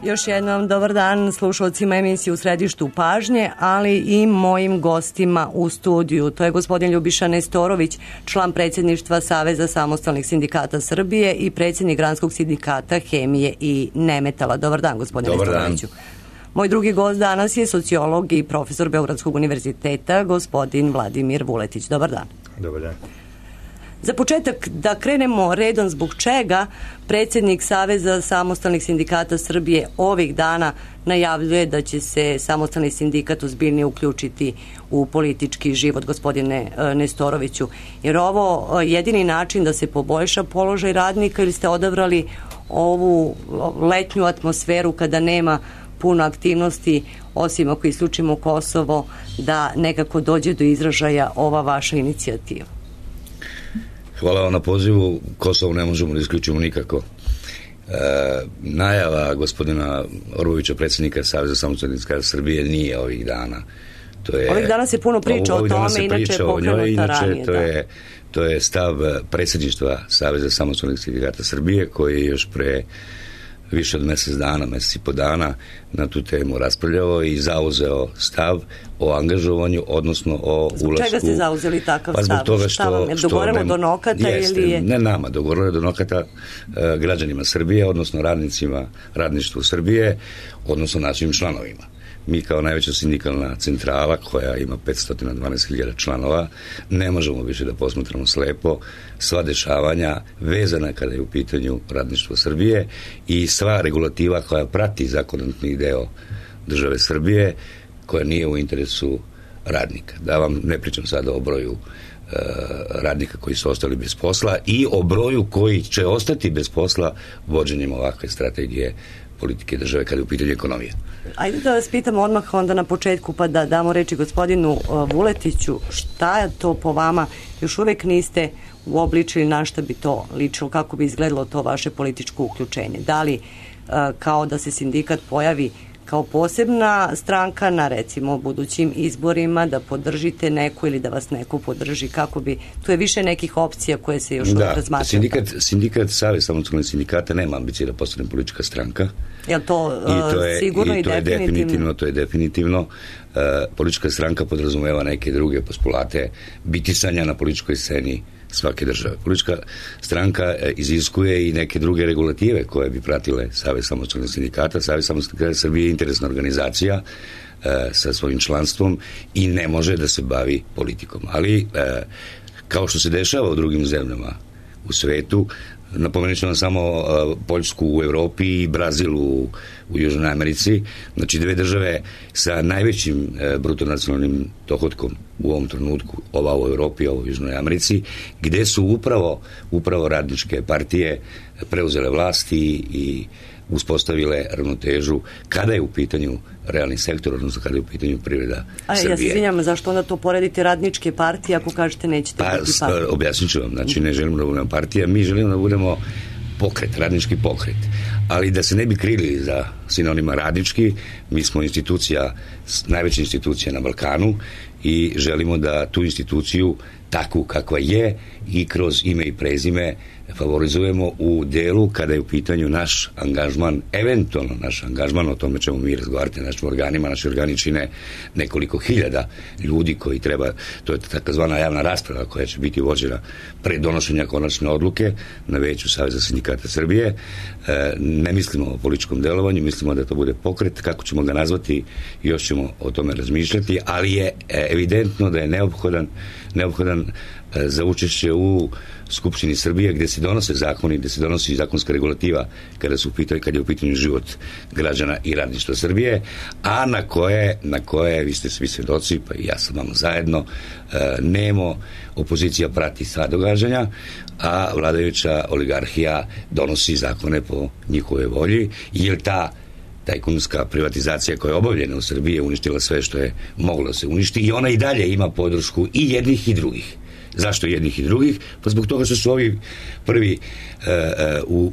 Još jednom dobar dan slušalcima emisije U središtu pažnje, ali i mojim gostima u studiju. To je gospodin Ljubiša Nestorović, član predsjedništva Saveza samostalnih sindikata Srbije i predsjednik Granskog sindikata hemije i nemetala. Dobar dan, gospodine Nestoroviću. Moj drugi gost danas je sociolog i profesor Beogradskog univerziteta, gospodin Vladimir Vuletić. Dobar dan. Dobar dan. Za početak da krenemo redom zbog čega predsjednik Saveza samostalnih sindikata Srbije ovih dana najavljuje da će se samostalni sindikat ozbiljnije uključiti u politički život, gospodine Nestoroviću. Jer ovo jedini način da se poboljša položaj radnika ili ste odabrali ovu letnju atmosferu kada nema puno aktivnosti, osim ako isključimo Kosovo, da nekako dođe do izražaja ova vaša inicijativa? Hvala vam na pozivu. Kosovo ne možemo da isključimo nikako. Najava Orbovića, predsjednika Saveza samostalnih sindikata Srbije, nije ovih dana. Ovih dana se puno priča o tome, inače je pokrenuta ranije. To je stav predsjedništva Saveza samostalnih sindikata Srbije, koji je još pre više od mesec i po dana na tu temu raspravljao i zauzeo stav o angažovanju, odnosno o ulasku. Zbog čega ste zauzeli takav stav? Zbog toga što vam je dogovorilo do nokata? Ili je... Ne nama, dogovorilo je do nokata građanima Srbije, odnosno radništvu Srbije, odnosno našim članovima. Mi kao najveća sindikalna centrala koja ima 512.000 članova ne možemo više da posmatramo slepo sva dešavanja vezana kada je u pitanju radništvo Srbije i sva regulativa koja prati zakonodavni deo države Srbije koja nije u interesu radnika. Da vam ne pričam sada o broju radnika koji su ostali bez posla i o broju koji će ostati bez posla vođenjem ovakve strategije politike države kada je u pitanju ekonomije. Ajde da vas pitam odmah onda na početku, pa da damo reči gospodinu Vuletiću, šta je to po vama, još uvek niste uobličili na šta bi to ličilo, kako bi izgledalo to vaše političko uključenje? Da li kao da se sindikat pojavi kao posebna stranka na recimo budućim izborima, da podržite neku ili da vas neko podrži, kako bi, tu je više nekih opcija koje se još uvijek razmatraju. Sindikat Savez samostalnih sindikata nema ambicije da postane politička stranka. Je li to sigurno i definitivno? To je definitivno. Politička stranka podrazumeva neke druge postulate bitisanja na političkoj sceni svake države. Politička stranka iziskuje i neke druge regulative koje bi pratile Savez samostalnih sindikata. Savez samostalnih sindikata Srbije je interesna organizacija sa svojim članstvom i ne može da se bavi politikom. Ali, kao što se dešava u drugim zemljama u svetu, napomenut ću vam samo Poljsku u Evropi i Brazil u Južnoj Americi, znači dve države sa najvećim brutonacionalnim dohodkom u ovom trenutku, ova u Evropi, ova u Južnoj Americi, gde su upravo radničke partije preuzele vlasti i uspostavile ravnotežu kada je u pitanju realni sektor, odnosno kada je u pitanju privreda Srbije. Ja se izvinjam, zašto onda to poredite radničke partije ako kažete nećete biti partije? Objasnit ću vam, znači ne želimo da budemo partija, mi želimo da budemo pokret, radnički pokret. Ali da se ne bi krili za sinonima radnički, mi smo najveća institucija na Balkanu i želimo da tu instituciju takvu kakva je i kroz ime i prezime favorizujemo u delu kada je u pitanju naš angažman, eventualno naš angažman, o tome ćemo mi razgovarati našim organima. Naši organi čine nekoliko hiljada ljudi koji treba, to je takozvana javna rasprava koja će biti vođena pre donošenja konačne odluke na veću Saveza sindikata Srbije. Ne mislimo o političkom delovanju, mislimo da to bude pokret, kako ćemo ga nazvati, još ćemo o tome razmišljati, ali je evidentno da je neophodan za učešće u Skupštini Srbije gde se donose zakoni, gde se donosi zakonska regulativa kada je u pitanju život građana i radništva Srbije, a na koje vi ste svi svedoci, pa i ja sam vama zajedno, nemo opozicija prati sva događanja, a vladajuća oligarhija donosi zakone po njihove volji, jer ta tajkunska privatizacija koja je obavljena u Srbiji je uništila sve što je moglo da se uništi i ona i dalje ima podršku i jednih i drugih. Zašto jednih i drugih? Pa zbog toga što su ovi prvi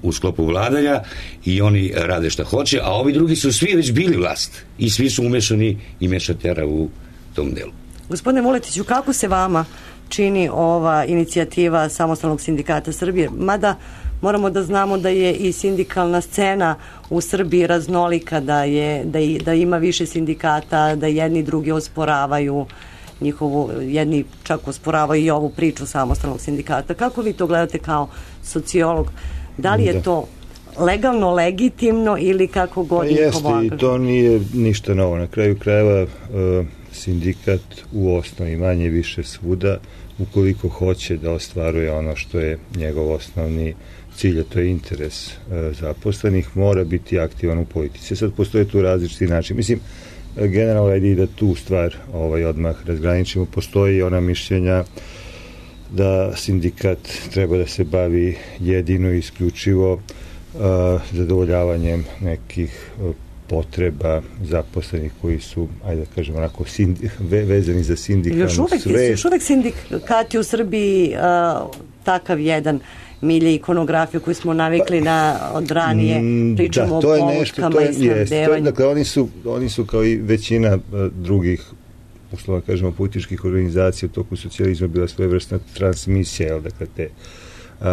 u sklopu vladanja i oni rade šta hoće, a ovi drugi su svi već bili vlast i svi su umešani i mešatera u tom delu. Gospodine Vuletiću, kako se vama čini ova inicijativa Samostalnog sindikata Srbije? Mada moramo da znamo da je i sindikalna scena u Srbiji raznolika, da ima više sindikata, da jedni drugi osporavaju jedni čak osporavaju i ovu priču samostalnog sindikata. Kako vi to gledate kao sociolog? Da li je to legalno, legitimno ili kako god njihovo angažovanje? Jeste, i to nije ništa novo. Na kraju krajeva sindikat u osnovi manje više svuda, ukoliko hoće da ostvaruje ono što je njegov osnovni cilj, a to je interes zaposlenih, mora biti aktivan u politici. Sad postoje tu različiti način. Mislim, generalno i da tu stvar odmah razgraničimo. Postoji ona mišljenja da sindikat treba da se bavi jedino i isključivo zadovoljavanjem nekih potreba zaposlenih koji su, ajde da kažem, onako vezani za sindikalnu svet. Još uvek sindikati u Srbiji takav jedan milje ikonografiju koju smo navikli od ranije, pričamo o polutkama i snabdevanju. Dakle, oni su kao i većina drugih, uslovno kažemo, političkih organizacija u toku socijalizma bila svojevrsna transmisija, dakle, te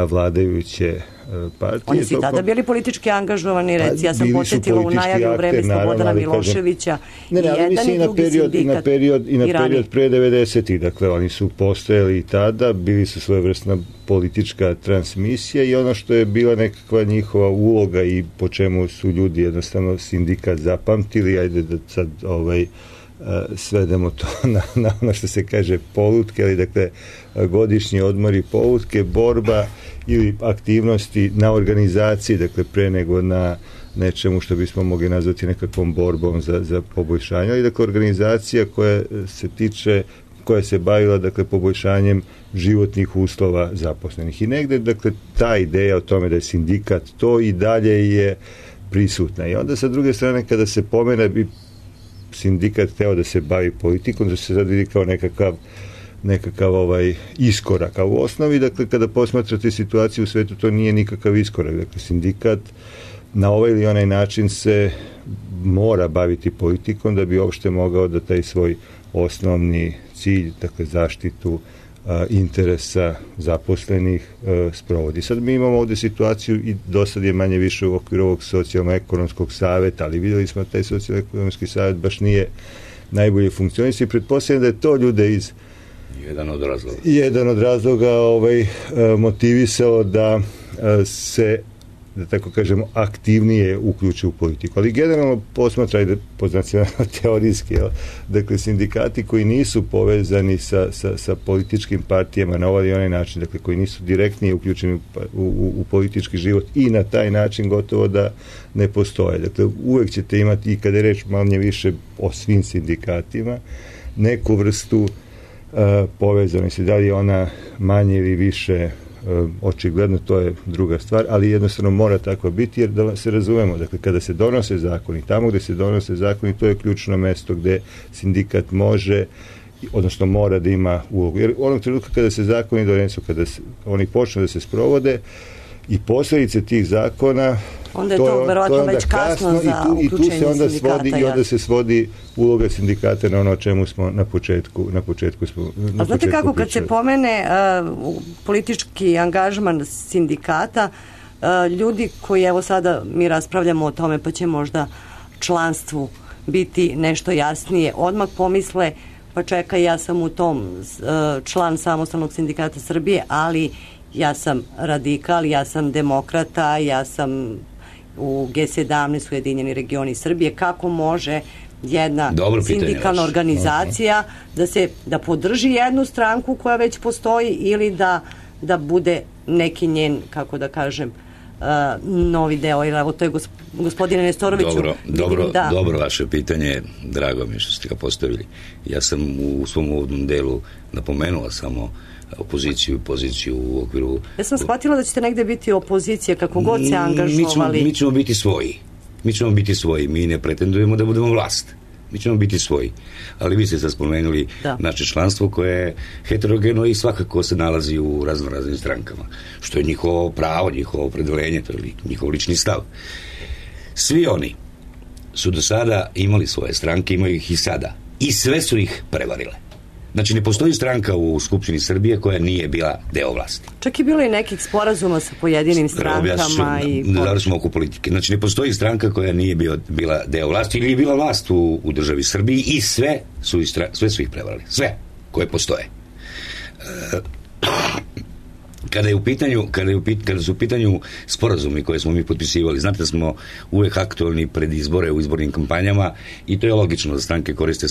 vladajuće partije. Oni su tada bili politički angažovani, ja sam podsjetila u najavi u vreme Slobodana Miloševića i jedan i drugi sindikat i na period pre 90-ih, dakle oni su postojali i tada, bili su svojevrsna politička transmisija i ono što je bila nekakva njihova uloga i po čemu su ljudi jednostavno sindikat zapamtili, ajde da sad svedemo to na ono što se kaže polutke, ali dakle godišnji odmori, polutke, borba ili aktivnosti na organizaciji, dakle pre nego na nečemu što bismo mogli nazvati nekakvom borbom za poboljšanje, ali dakle organizacija koja se bavila dakle poboljšanjem životnih uslova zaposlenih. I negde dakle ta ideja o tome da je sindikat to i dalje je prisutna. I onda sa druge strane kada se pomene bi sindikat hteo da se bavi politikom, da se sad vidi kao nekakav iskorak. A u osnovi, dakle, kada posmatrate situaciju u svetu, to nije nikakav iskorak. Dakle, sindikat na ovaj ili onaj način se mora baviti politikom da bi uopšte mogao da taj svoj osnovni cilj, dakle, zaštitu interesa zaposlenih sprovodi. Sad mi imamo ovde situaciju i do sad je manje više u okviru ovog socijalno-ekonomskog saveta, ali videli smo da taj socijalno-ekonomski savet baš nije najbolje funkcionisao i pretpostavljam da je to ljude iz jedan od razloga motivisao da se, da tako kažemo, aktivnije uključe u politiku. Ali generalno posmatraj teorijski, dakle, sindikati koji nisu povezani sa političkim partijama na ovaj i onaj način, dakle, koji nisu direktnije uključeni u politički život i na taj način gotovo da ne postoje. Dakle, uvek ćete imati, i kada je reč manje više o svim sindikatima, neku vrstu povezanosti. Da li je ona manje ili više očigledno, to je druga stvar, ali jednostavno mora tako biti, jer da se razumemo, dakle, kada se donose zakoni, tamo gde se donose zakoni, to je ključno mesto gde sindikat može, odnosno mora da ima ulogu. Jer onog trenutka kada se zakoni donesu, kada oni počnu da se sprovode i posledice tih zakona, onda je to verovatno već kasno za uključenje sindikata. I onda se svodi uloga sindikata na ono o čemu smo na početku smo. A znate kako, kad se pomene politički angažman sindikata, ljudi koji, evo sada mi raspravljamo o tome, pa će možda članstvu biti nešto jasnije, odmah pomisle, pa čekaj, ja sam u tom član Samostalnog sindikata Srbije, ali ja sam radikal, ja sam demokrata, ja sam u G17, Ujedinjeni regioni Srbije. Kako može jedna sindikalna organizacija da podrži jednu stranku koja već postoji ili da bude neki njen, kako da kažem, novi deo? Evo, to je gospodine Nestoroviću. Dobro vaše pitanje, drago mi što ste ga postavili. Ja sam u svom uvodnom delu napomenula samo opoziciju i poziciju u okviru... Ja sam shvatila da ćete negde biti opozicija, kako god se angažovali. Mi ćemo biti svoji. Mi ne pretendujemo da budemo vlast. Mi ćemo biti svoji. Ali vi ste sad spomenuli naše članstvo koje je heterogeno i svakako se nalazi u raznoraznim strankama. Što je njihovo pravo, njihovo opredeljenje, to je njihov lični stav. Svi oni su do sada imali svoje stranke, imaju ih i sada. I sve su ih prevarile. Znači, ne postoji stranka u Skupštini Srbije koja nije bila deo vlasti. Čak je bilo i nekih sporazuma sa pojedinim strankama. Završimo oko politike. Znači, ne postoji stranka koja nije bila deo vlasti ili je bila vlast u državi Srbiji i sve su ih prevarali. Sve koje postoje. Kada su u pitanju sporazumi koje smo mi potpisivali, znate da smo uvek aktualni pred izbore u izbornim kampanjama i to je logično da stranke koriste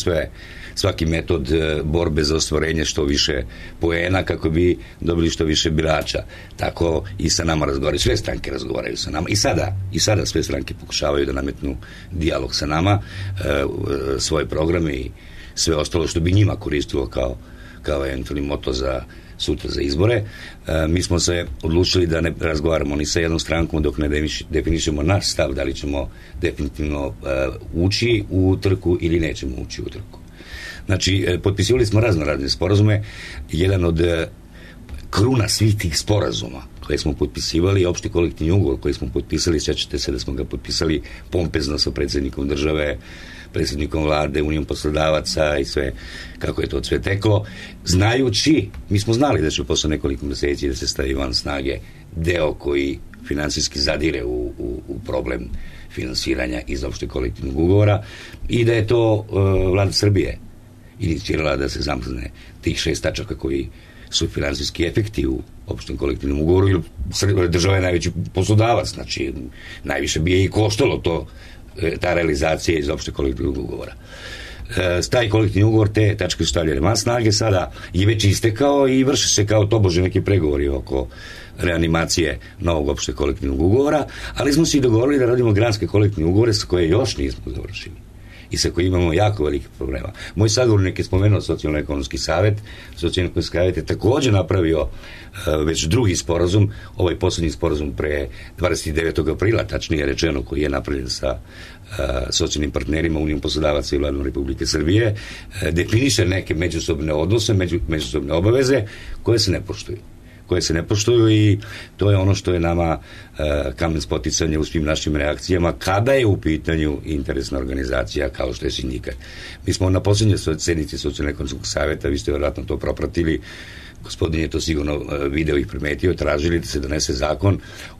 svaki metod borbe za ostvarenje što više poena kako bi dobili što više birača. Tako i sa nama razgovaraju. Sve stranke razgovaraju sa nama. I sada sve stranke pokušavaju da nametnu dijalog sa nama, svoje programe i sve ostalo što bi njima koristilo kao eventualni moto za sutra za izbore. Mi smo se odlučili da ne razgovaramo ni sa jednom strankom dok ne definišemo naš stav da li ćemo definitivno ući u trku ili nećemo ući u trku. Znači, potpisivali smo razne sporazume. Jedan od kruna svih tih sporazuma koje smo potpisivali je opšti kolektivni ugovor koji smo potpisali. Sjećate se da smo ga potpisali pompezno sa predsjednikom države, predsjednikom vlade, Unijom poslodavaca i sve, kako je to sve teklo, znajući, mi smo znali da će posle nekoliko meseci da se stavi van snage deo koji finansijski zadire u problem finansiranja iz opšte kolektivnog ugovora i da je to vlada Srbije inicirala da se zamrzne tih 6 tačaka koji su finansijski efekti u opštem kolektivnom ugovoru, jer država je najveći poslodavac, znači najviše bi je i koštalo ta realizacija iz opšte kolektivnog ugovora. Taj kolektivni ugovor, te tačke su stavljene van snage, sada je već istekao i vrše se kao tobože neki pregovori oko reanimacije novog opšte kolektivnog ugovora, ali smo se i dogovorili da radimo granske kolektivne ugovore sa koje još nismo završili i sa kojima imamo jako velike problema. Moj sagovornik je spomenuo Socijalno-ekonomski savet. Socijalno-ekonomski savet je također napravio već drugi sporazum, ovaj poslednji sporazum pre 29. aprila, tačnije rečeno, koji je napravljen sa socijalnim partnerima, Unijom poslodavaca i Vladom Republike Srbije, definiše neke međusobne odnose, međusobne obaveze koje se ne poštuju i to je ono što je nama kamen spoticanja u svim našim reakcijama kada je u pitanju interesna organizacija kao što je sindikat. Mi smo na posljednjoj sednici Socijalno-ekonomskog saveta, vi ste vjerojatno to propratili, gospodin je to sigurno video i primetio, tražili da se donese zakon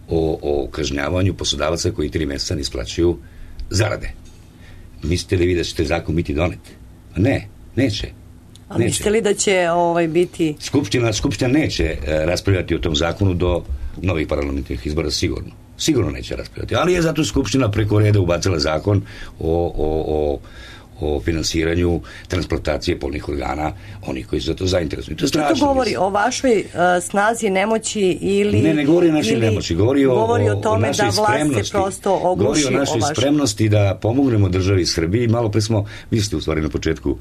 o kažnjavanju poslodavaca koji 3 mjeseca ne isplaćuju zarade. Mislite li vi da će taj zakon biti donet? Ne, neće. A mislite li da će biti... Skupština neće raspravljati o tom zakonu do novih parlamentarnih izbora, sigurno neće raspravljati, ali je zato Skupština preko reda ubacila zakon o finansiranju transplantacije polnih organa onih koji su za to zainteresovani. To je strašno. To govori o vašoj snazi, nemoći ili... Ne govori o našoj nemoći, govori o tome da vlast se prosto ogluši. Govori o našoj spremnosti da pomognemo državi Srbiji. Malo pre smo, vi ste u stvari na početku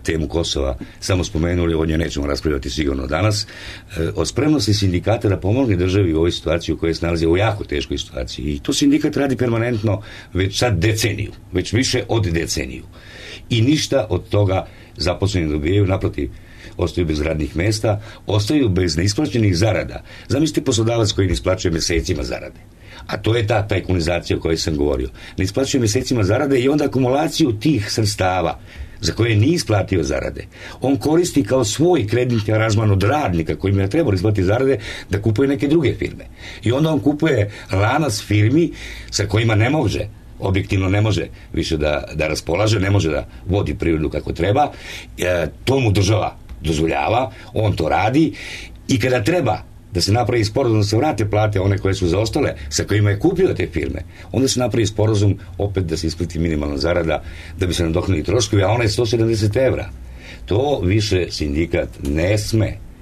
temu Kosova samo spomenuli, o njoj nećemo raspravljati sigurno danas, o spremnosti sindikata da pomogne državi u ovoj situaciji u kojoj se nalazi u jako teškoj situaciji. I to sindikat radi permanentno već sad deceniju, već više od deceniju. I ništa od toga zaposleni dobijaju, naprotiv, ostaju bez radnih mesta, ostaju bez neisplaćenih zarada. Zamislite poslodavac koji ne isplaćuje mesecima zarade. A to je ta tajkunizacija o kojoj sam govorio. Ne isplaćuje mesecima zarade i onda akumulaciju tih sredstava za koje nije isplatio zarade. On koristi kao svoj kreditni aranžman od radnika kojima je trebalo isplatiti zarade da kupuje neke druge firme. I onda on kupuje lanac firmi sa kojima ne može, objektivno ne može više da raspolaže, ne može da vodi privredu kako treba. To mu država dozvoljava, on to radi i kada treba da se napravi sporazum da se vrate plate one koje su zaostale sa kojima je kupio te firme, onda se napravi sporazum opet da se isplati minimalna zarada da bi se nadoknadili troškovi, a ona je 170 evra. To više sindikat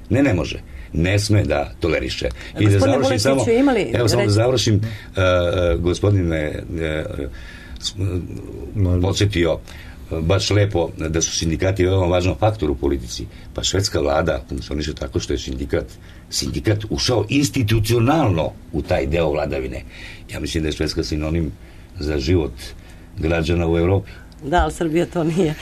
ne može ne sme da toleriše. I da završim samo, da završim, gospodin me podsjetio baš lepo da su sindikati veoma važan faktor u politici. Pa švedska vlada funkcioniše tako što je sindikat ušao institucionalno u taj deo vladavine. Ja mislim da je Švedska sinonim za život građana u Evropi. Da, ali Srbija to nije.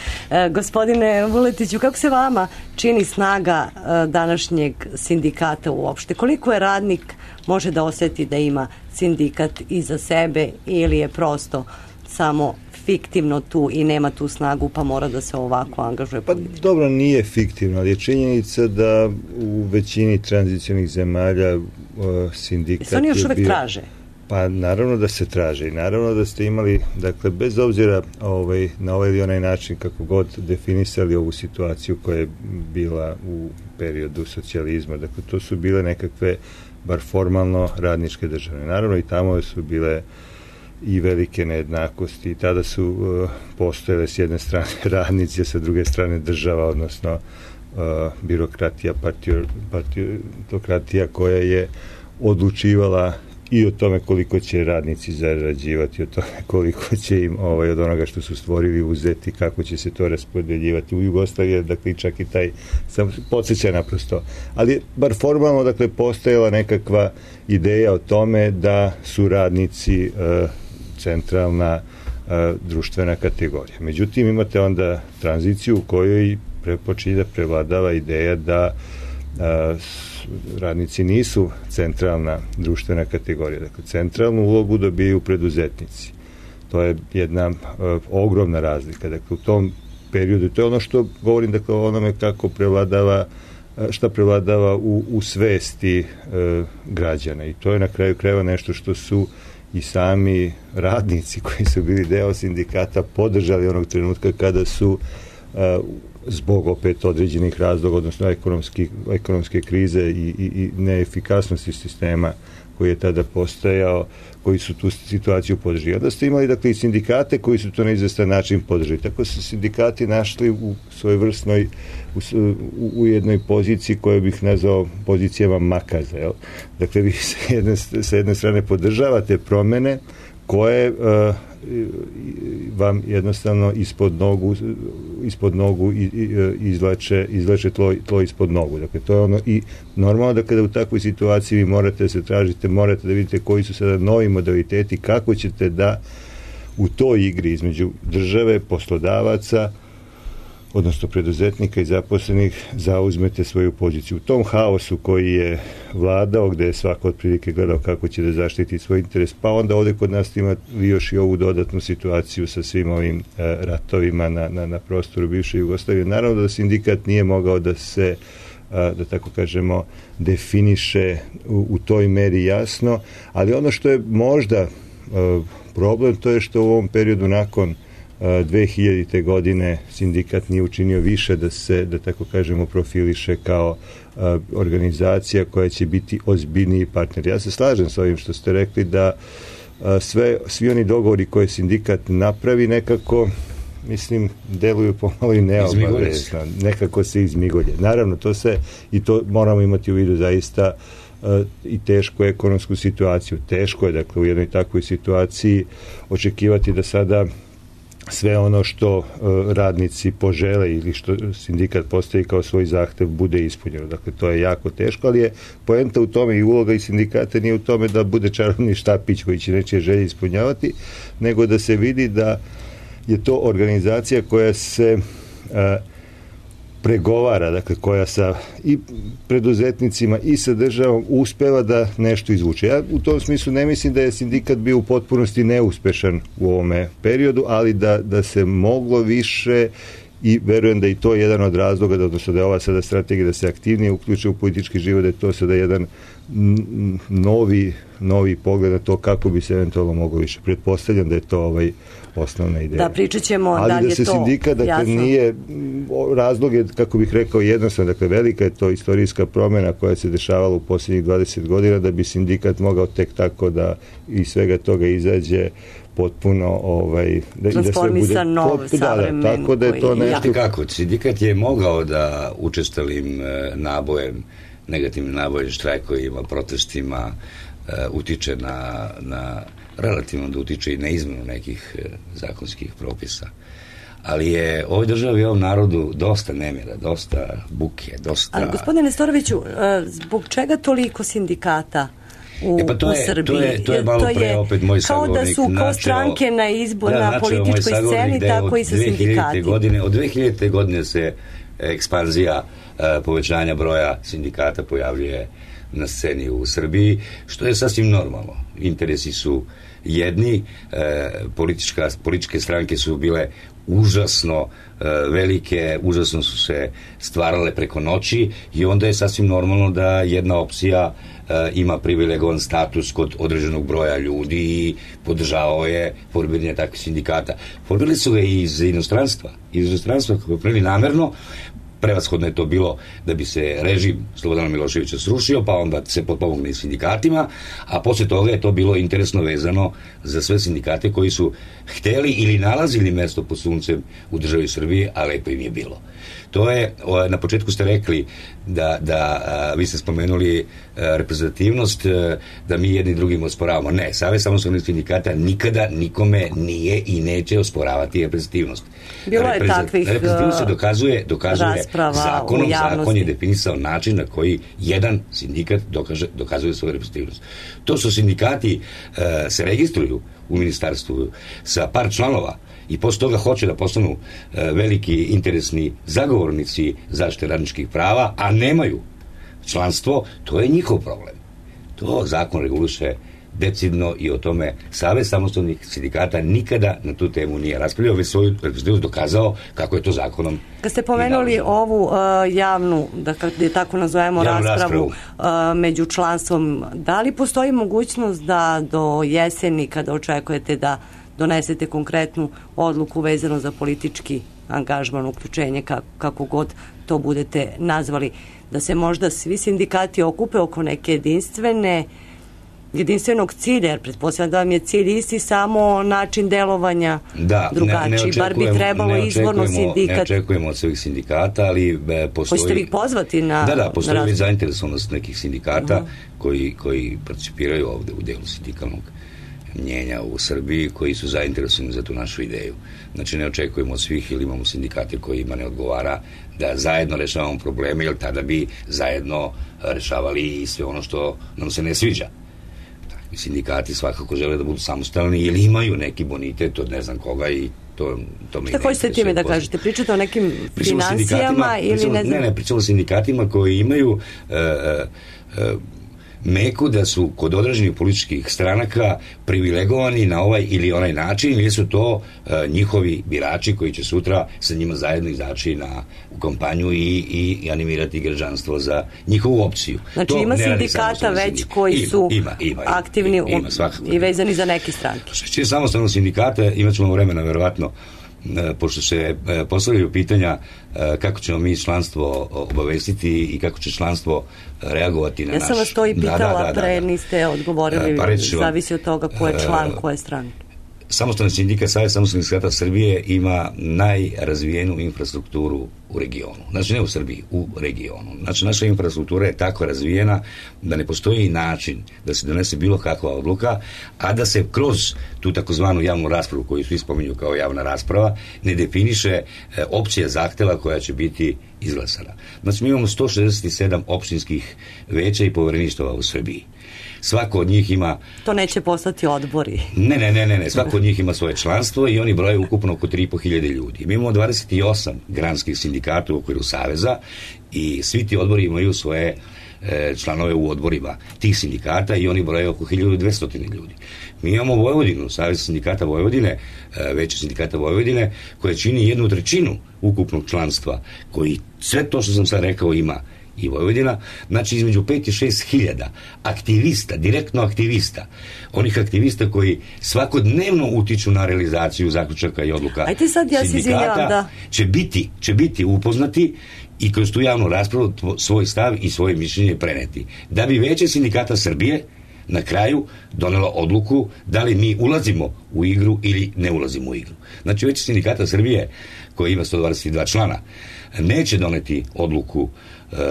Gospodine Vuletiću, kako se vama čini snaga današnjeg sindikata uopšte? Koliko je radnik može da osjeti da ima sindikat iza sebe ili je prosto samo fiktivno tu i nema tu snagu pa mora da se ovako angažuje politički? Pa dobro, nije fiktivno, ali je činjenica da u većini tranzicionih zemalja sindikat je oni još uvek traže? Pa naravno da se traže i naravno da ste imali, dakle, bez obzira na ovaj ili onaj način kako god definisali ovu situaciju koja je bila u periodu socijalizma, dakle, to su bile nekakve bar formalno radničke države. Naravno i tamo su bile i velike nejednakosti i tada su postojale s jedne strane radnici, a sa druge strane država, odnosno birokratija, partitokratija koja je odlučivala i o tome koliko će radnici zarađivati, o tome koliko će im od onoga što su stvorili uzeti, kako će se to raspodeljivati. U Jugoslaviji, dakle, čak i taj sam podsjeća naprosto. Ali bar formalno, dakle, postojala nekakva ideja o tome da su radnici centralna društvena kategorija. Međutim, imate onda tranziciju u kojoj počinje da prevladava ideja da radnici nisu centralna društvena kategorija. Dakle, centralnu ulogu dobijaju preduzetnici. To je jedna ogromna razlika. Dakle, u tom periodu, to je ono što govorim, dakle, o onome kako prevladava, šta prevladava u svesti građana. I to je na kraju krajeva nešto što su i sami radnici koji su bili deo sindikata podržali onog trenutka kada su zbog opet određenih razloga, odnosno ekonomske krize i neefikasnosti sistema koji je tada postojao, koji su tu situaciju podržali. Onda ste imali, dakle, i sindikate koji su to na izvestan način podržali. Tako su sindikati našli u svojevrsnoj u jednoj poziciji koju bih nazvao pozicijama makaza. Jel? Dakle, vi sa jedne strane podržavate promene koje vam jednostavno ispod nogu izvlače tlo ispod nogu. Dakle, to je ono i normalno da kada u takvoj situaciji vi morate da se tražite, morate da vidite koji su sada novi modaliteti, kako ćete da u toj igri između države, poslodavaca, odnosno preduzetnika i zaposlenih, zauzmete svoju poziciju. U tom haosu koji je vladao, gde je svako otprilike gledao kako će da zaštiti svoj interes, pa onda ovde kod nas ima još i ovu dodatnu situaciju sa svim ovim ratovima na prostoru bivše Jugoslavije. Naravno da sindikat nije mogao da se, da tako kažemo, definiše u toj meri jasno, ali ono što je možda problem, to je što u ovom periodu nakon 2000. godine sindikat nije učinio više da se, da tako kažemo, profiliše kao organizacija koja će biti ozbiljniji partner. Ja se slažem s ovim što ste rekli da svi oni dogovori koje sindikat napravi nekako, mislim, deluju pomalo i neobavezno. Nekako se izmigolje. Naravno, to moramo imati u vidu zaista i tešku ekonomsku situaciju. Teško je, dakle, u jednoj takvoj situaciji očekivati da sada sve ono što radnici požele ili što sindikat postavi kao svoj zahtev bude ispunjeno. Dakle, to je jako teško, ali je poenta u tome i uloga i sindikata nije u tome da bude čarobni štapić koji će nečije želje ispunjavati, nego da se vidi da je to organizacija koja se pregovara, dakle, koja sa i preduzetnicima i sa državom uspeva da nešto izvuče. Ja u tom smislu ne mislim da je sindikat bio u potpunosti neuspešan u ovome periodu, ali da se moglo više i verujem da i to je jedan od razloga, odnosno da je ova sada strategija da se aktivnije uključe u politički život, da je to sada jedan novi pogled na to kako bi se eventualno moglo više. Pretpostavljam da je to osnovna ideja. Da, pričat ćemo ali da li je to jasno. Ali da se sindikat, dakle, nije, razlog je, kako bih rekao, jednostavno, dakle, velika je to istorijska promjena koja se dešavala u posljednjih 20 godina, da bi sindikat mogao tek tako da iz svega toga izađe potpuno transformisan nov savremen. Tako da je to nešto... Kako? Sindikat je mogao da učestalim nabojem, negativnim nabojem, štrajkovima, protestima utiče na relativno da utiče i na izmenu nekih zakonskih propisa. Ali je ovoj državi i ovom narodu dosta nemira, dosta buke, dosta... Ali, gospodine Nestoroviću, zbog čega toliko sindikata u Srbiji? To je malo pre opet moj sagovornik. Kao da su kao stranke na političkoj sceni, tako i sa sindikati. Od 2000. godine se ekspanzija povećanja broja sindikata pojavljuje na sceni u Srbiji, što je sasvim normalno. Interesi su jedni, političke stranke su bile užasno velike, užasno su se stvarale preko noći i onda je sasvim normalno da jedna opcija ima privilegovan status kod određenog broja ljudi i podržavao je formiranje takvih sindikata. Formirali su ga i iz inostranstva kako prili namerno. Prevashodno je to bilo da bi se režim Slobodana Miloševića srušio, pa onda se potpomogne i sindikatima, a posle toga je to bilo interesno vezano za sve sindikate koji su hteli ili nalazili mesto pod suncem u državi Srbiji, a lepo im je bilo. To je, na početku ste rekli da vi ste spomenuli reprezentativnost, da mi jedni drugim osporavamo. Ne, Savez samostalnih sindikata nikada nikome nije i neće osporavati reprezentativnost. Bilo je takvih reprezentativnost se dokazuje zakonom. Zakon je definisao način na koji jedan sindikat dokazuje svoju reprezentativnost. To su sindikati se registruju u ministarstvu sa par članova i posle toga hoće da postanu veliki interesni zagovornici zaštite radničkih prava, a nemaju članstvo, to je njihov problem. To zakon reguliše decidno i o tome Savez samostalnih sindikata nikada na tu temu nije raspravljao, već svoju reprezentativnost dokazao kako je to zakonom. Kad ste pomenuli ovu javnu, da tako nazovemo, raspravu među članstvom, da li postoji mogućnost da do jeseni, kada očekujete da donesete konkretnu odluku vezano za politički angažman, uključenje, kako god to budete nazvali, da se možda svi sindikati okupe oko neke jedinstvenog cilja, jer pretpostavljam da vam je cilj isti, samo način delovanja drugačiji. Bar bi trebalo izvorno sindikat. Ne očekujemo od svih sindikata, ali postoji... Hoćete li ih pozvati na... Da, postoji zainteresovanost nekih sindikata koji participiraju ovde u delu sindikalnog mnjenja u Srbiji, koji su zainteresovani za tu našu ideju. Znači, ne očekujemo od svih, ili imamo sindikate kojima ne odgovara da zajedno rešavamo probleme, jer tada bi zajedno rešavali i sve ono što nam se ne sviđa. Takvi sindikati svakako žele da budu samostalni ili imaju neki bonitet od ne znam koga i to me... Šta hoćete time da kažete? Pričate o nekim financijama ili ne znam... Ne, pričamo o sindikatima koji imaju meku da su kod određenih političkih stranaka privilegovani na ovaj ili onaj način, ili su to njihovi birači koji će sutra sa njima zajedno izaći u kampanju i animirati građanstvo za njihovu opciju. Znači ima sindikata već koji su aktivni i vezani za neke stranke. Što će samostalno sindikata, imat ćemo vremena verovatno, pošto se postavljaju pitanja kako ćemo mi članstvo obavestiti i kako će članstvo reagovati na naš... Ja sam vas to i pitala, pre niste odgovorili, zavisi od toga ko je član, ko je stran. Samostalni sindikat, Savez samostalnih sindikata Srbije ima najrazvijenu infrastrukturu u regionu. Znači ne u Srbiji, u regionu. Znači naša infrastruktura je tako razvijena da ne postoji način da se donese bilo kakva odluka, a da se kroz tu takozvanu javnu raspravu, koju svi spominju kao javna rasprava, ne definiše opcija zahteva koja će biti izglasana. Znači mi imamo 167 opštinskih veća i povereništava u Srbiji. Svako od njih ima... To neće postati odbori. Ne. Svako od njih ima svoje članstvo i oni broje ukupno oko 3.500 ljudi. Mi imamo 28 granskih sindikata u okviru Saveza i svi ti odbori imaju svoje članove u odborima tih sindikata i oni broje oko 1200 ljudi. Mi imamo Vojvodinu, Savez sindikata Vojvodine, veće sindikata Vojvodine, koje čini 1/3 ukupnog članstva, koji sve to što sam sad rekao ima i Vojvodina, znači između 5 i 6 hiljada aktivista, direktno aktivista, onih aktivista koji svakodnevno utiču na realizaciju zaključaka i odluka sindikata, će biti upoznati i kroz tu javnu raspravu svoj stav i svoje mišljenje preneti. Da bi veće sindikata Srbije na kraju donelo odluku da li mi ulazimo u igru ili ne ulazimo u igru. Znači veće sindikata Srbije, koji ima 122 člana, neće doneti odluku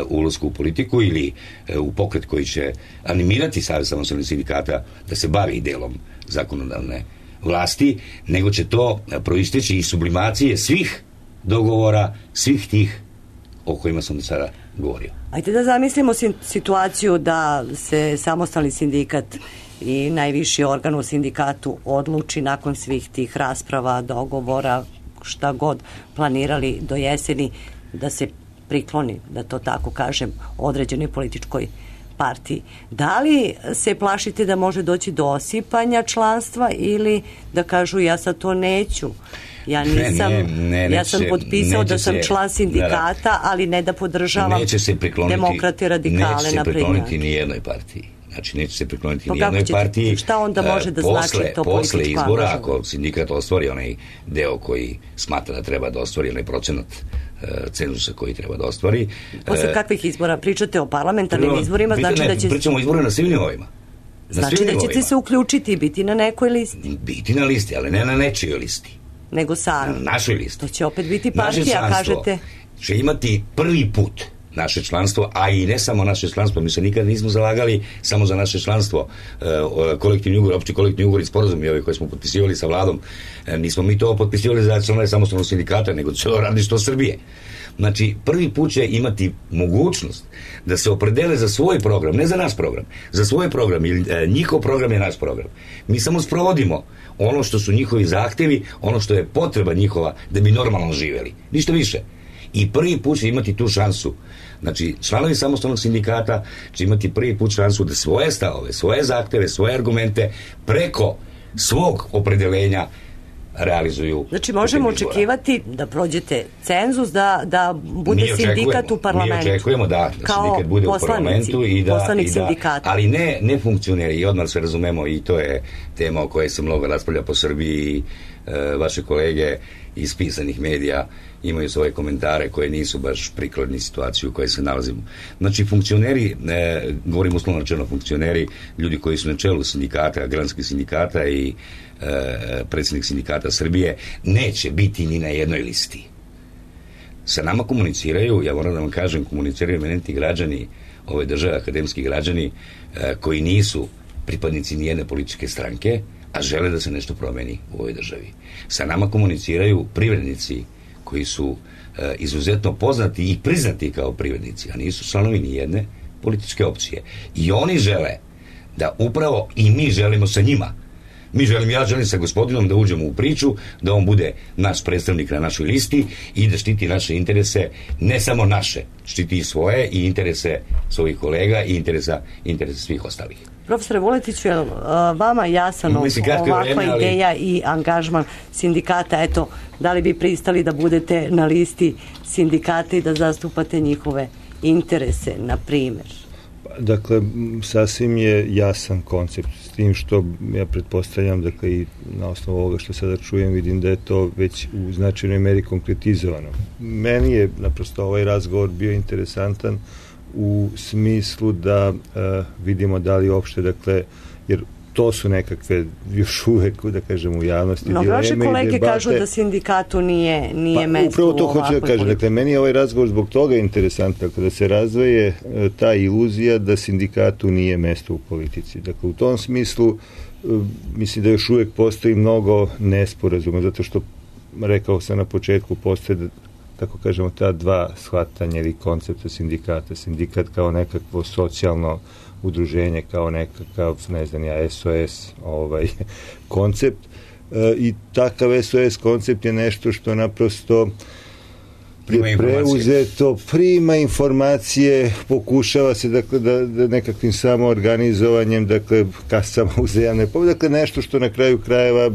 u ulasku u politiku ili u pokret koji će animirati Savez samostalnih sindikata da se bavi delom zakonodavne vlasti, nego će to proisteći iz sublimacije svih dogovora, svih tih o kojima sam do sada govorio. Ajde da zamislimo situaciju da se samostalni sindikat i najviši organ u sindikatu odluči nakon svih tih rasprava, dogovora, šta god planirali do jeseni, da se prikloni, da to tako kažem, određenoj političkoj partiji. Da li se plašite da može doći do osipanja članstva ili da kažu ja sad to neću? Ja nisam, ja sam potpisao da sam član sindikata, ali ne da podržavam demokrate radikale na prednjake. Neće se prikloniti ni jednoj partiji. Znači, neće se prikloniti ni jednoj partiji. Šta onda može da znači to političko posle izbora, ako sindikat ostvari onaj deo koji smatra da treba da ostvari, onaj procenat cenzusa koji treba da ostvari. Posle kakvih izbora? Pričate o parlamentarnim izborima? Znači da će... Pričamo o izboru na svim nivoima. Znači da ćete se uključiti i biti na nekoj listi? Biti na listi, ali ne na nečijoj listi. Nego sami. Na našoj listi. To će opet biti partija, kažete. Će imati prvi put naše članstvo, a i ne samo naše članstvo, mi se nikad nismo zalagali samo za naše članstvo. Kolektivni ugovor, opći kolektivni ugovor i sporazumi ovi koje smo potpisivali sa vladom, nismo mi to potpisivali za članove samostalnog sindikata, nego celo radništvo Srbije. Znači, prvi put će imati mogućnost da se opredele za svoj program, ne za naš program, za svoj program, ili njihov program je naš program. Mi samo sprovodimo ono što su njihovi zahtevi, ono što je potreba njihova da bi normalno živeli. Ništa više. I prvi put će imati tu šansu. Znači, članovi samostalnog sindikata će imati prvi put šansu da svoje stavove, svoje zahteve, svoje argumente preko svog opredelenja realizuju. Znači, možemo očekivati da prođete cenzus, da bude sindikat u parlamentu. Mi očekujemo da sindikat bude u parlamentu i da, ali ne funkcioneri, i odmah se razumemo, i to je tema o kojoj se mnogo raspravlja po Srbiji. Vaše kolege iz pisanih medija imaju svoje komentare koje nisu baš prikladni situaciju u kojoj se nalazimo. Znači, funkcioneri, govorim uslovno rečeno funkcioneri, ljudi koji su na čelu sindikata, granskih sindikata i predsjednik sindikata Srbije, neće biti ni na jednoj listi. Sa nama komuniciraju, ja moram da vam kažem, komuniciraju eminentni građani ove države, akademski građani, koji nisu pripadnici nijedne političke stranke, a žele da se nešto promeni u ovoj državi. Sa nama komuniciraju privrednici koji su izuzetno poznati i priznati kao privrednici, a nisu članovi nijedne političke opcije. I oni žele da upravo i mi želimo sa njima. Ja želim sa gospodinom da uđemo u priču, da on bude naš predstavnik na našoj listi i da štiti naše interese, ne samo naše, štiti i svoje i interese svojih kolega i interese svih ostalih. Profesore Vuletiću, je vama jasan ovakva ideja i angažman sindikata? Eto, da li bi pristali da budete na listi sindikata i da zastupate njihove interese, na primjer? Dakle, sasvim je jasan koncept, s tim što ja pretpostavljam, dakle, i na osnovu ovoga što sada čujem, vidim da je to već u značajnoj meri konkretizovano. Meni je naprosto ovaj razgovor bio interesantan u smislu da vidimo da li uopšte, dakle, jer to su nekakve još uvek, da kažem, u javnosti dileme i debate. Vaše kolege kažu da sindikatu nije mesto. Upravo to hoću da kažem. Dakle, meni je ovaj razgovor zbog toga interesantan, da se razvoje ta iluzija da sindikatu nije mesto u politici. Dakle, u tom smislu mislim da još uvek postoji mnogo nesporazuma, zato što, rekao sam na početku, postoje, tako kažemo, ta dva shvatanja ili koncepta sindikata. Sindikat kao nekakvo socijalno udruženje, kao nekakav, ne znam ja, SOS koncept, i takav SOS koncept je nešto što naprosto je preuzeto, prima informacije, pokušava se, dakle, da nekakvim samoorganizovanjem, dakle, kasama uzajamne, dakle, nešto što na kraju krajeva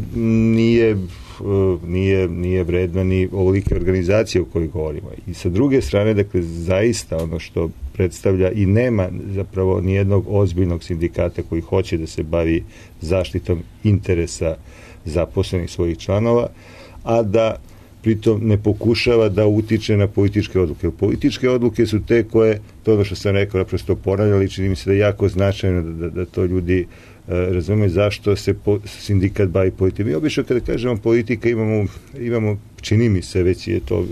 nije vredno ni ovolike organizacije o kojoj govorimo. I sa druge strane, dakle, zaista ono što predstavlja, i nema zapravo nijednog ozbiljnog sindikata koji hoće da se bavi zaštitom interesa zaposlenih svojih članova, a da pritom ne pokušava da utiče na političke odluke. Političke odluke su te koje, to ono što sam rekao, naprosto ponavljali, čini mi se da je jako značajno da to ljudi razume zašto se sindikat bavi politikom. Mi obično kada kažemo politika imamo, čini mi se, već je to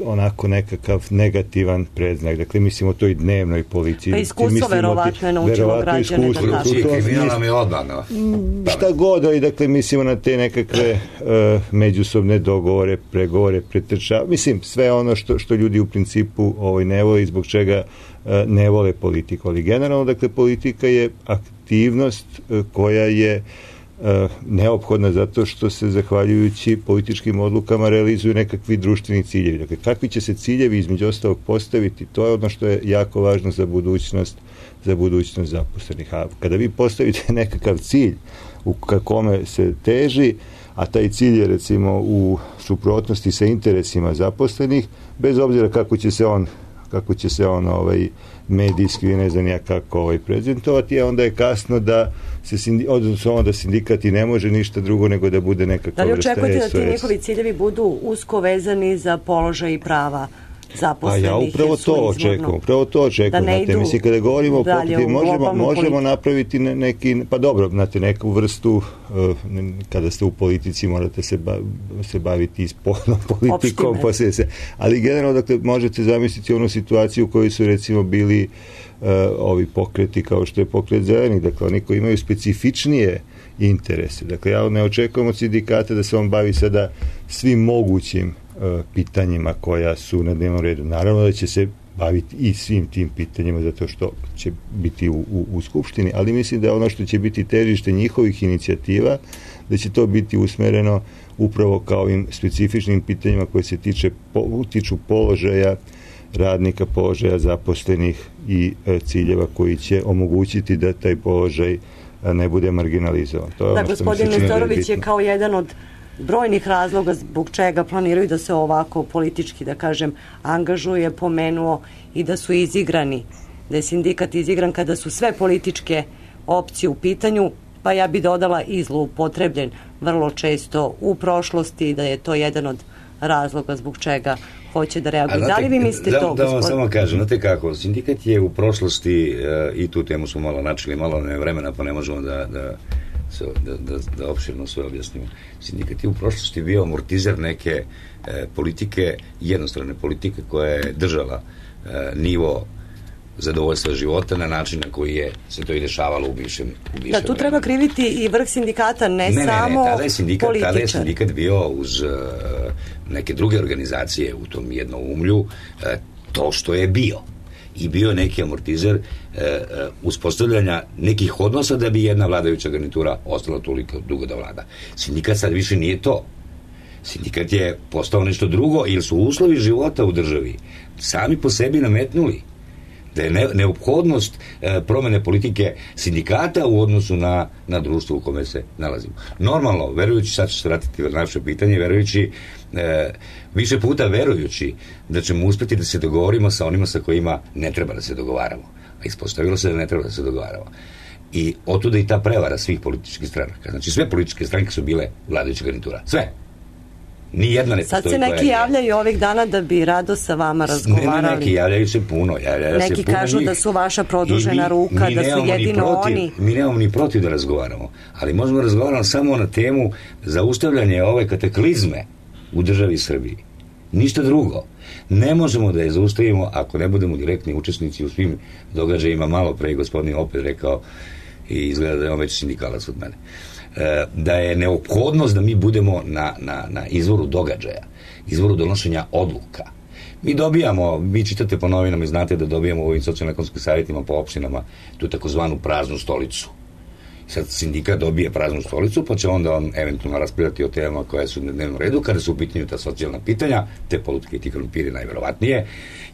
onako nekakav negativan predznak. Dakle, mislimo to i dnevnoj policiji. Pa iskustvo verovatno je naučilo građane da kažu. Kriminal nam je odmah. Šta god, ali dakle mislimo na te nekakve međusobne dogovore, pregovore, pretrča. Mislim, sve ono što ljudi u principu ne vole i zbog čega ne vole politiku. Ali generalno, dakle, politika je aktivnost koja je neophodna zato što se zahvaljujući političkim odlukama realizuju nekakvi društveni ciljevi. Dakle, kakvi će se ciljevi između ostalog postaviti, to je ono što je jako važno za budućnost zaposlenih. A kada vi postavite nekakav cilj u kome se teži, a taj cilj je recimo u suprotnosti sa interesima zaposlenih, bez obzira kako će se on medijski, ne znam ja kako prezentovati, a onda je kasno da da sindikati ne može ništa drugo nego da bude nekakva vrsta SOS. Da li očekujete da ti njihovi ciljevi budu usko vezani za položaj i prava zaposlenih? A ja upravo to očekujem. Znate, mislim, kada govorimo o pokretu, možemo napraviti neki, pa dobro, znate, neku vrstu, kada ste u politici morate se baviti ispolnom politikom, ali generalno, dakle, možete zamisliti onu situaciju u kojoj su recimo bili ovi pokreti kao što je pokret zelenih, dakle, oni koji imaju specifičnije interese. Dakle, ja ne očekujem od sindikata da se on bavi sada svim mogućim pitanjima koja su na dnevnom redu. Naravno da će se baviti i svim tim pitanjima zato što će biti u Skupštini, ali mislim da je ono što će biti težište njihovih inicijativa, da će to biti usmereno upravo kao ovim specifičnim pitanjima koje se tiču položaja radnika, položaja zaposlenih i ciljeva koji će omogućiti da taj položaj ne bude marginalizovan. Da, gospodin Nestorović je kao jedan od brojnih razloga zbog čega planiraju da se ovako politički, da kažem, angažuje, pomenuo i da su izigrani, da je sindikat izigran kada su sve političke opcije u pitanju, pa ja bi dodala i zloupotrebljen vrlo često u prošlosti, da je to jedan od razloga zbog čega hoće da reaguje. Da li vi mislite to, da vam samo kažem, znate kako, sindikat je u prošlosti, i tu temu smo malo načeli, malo ne vremena, pa ne možemo da opširno sve objasnimo. Sindikat je u prošlosti bio amortizer neke politike, jednostrane politike koja je držala nivo zadovoljstva života na način na koji se to i dešavalo u bivšem Da, tu treba kriviti i vrh sindikata, ne samo političar. Tada je sindikat bio uz neke druge organizacije u tom jednoumlju to što je bio. I bio neki amortizer uspostavljanja nekih odnosa da bi jedna vladajuća garnitura ostala toliko dugo da vlada. Sindikat sad više nije to. Sindikat je postao nešto drugo, jer su uslovi života u državi sami po sebi nametnuli da je neophodnost promene politike sindikata u odnosu na društvo u kome se nalazimo. Normalno, verujući, sad ću se vratiti na naše pitanje, više puta verujući da ćemo uspeti da se dogovorimo sa onima sa kojima ne treba da se dogovaramo. A ispostavilo se da ne treba da se dogovaramo. I otuda i ta prevara svih političkih stranaka. Znači, sve političke stranke su bile vladajuća garnitura. Sve. Nijedna ne postoji. Sad se neki javljaju ovih dana da bi rado sa vama razgovarali. Ne, neki javljaju se puno. Neki kažu da su vaša produžena ruka, da su jedino oni. Mi nemamo ni protiv da razgovaramo, ali možemo razgovarati samo na temu zaustavljanja ove kataklizme u državi Srbiji. Ništa drugo. Ne možemo da je zaustavimo ako ne budemo direktni učesnici u svim događajima. Malo pre gospodin opet rekao i izgleda da je on već sindikalac od mene. Da je neophodnost da mi budemo na izvoru događaja, izvoru donošenja odluka. Vi čitate po novinama i znate da dobijamo u ovim socijalno-ekonomskim savjetima po opštinama tu takozvanu praznu stolicu. Sad sindikat dobije praznu stolicu, pa će onda on eventualno raspravljati o temama koje su na dnevnom redu, kada su u pitanju ta socijalna pitanja, te politike i ti krompiri najverovatnije.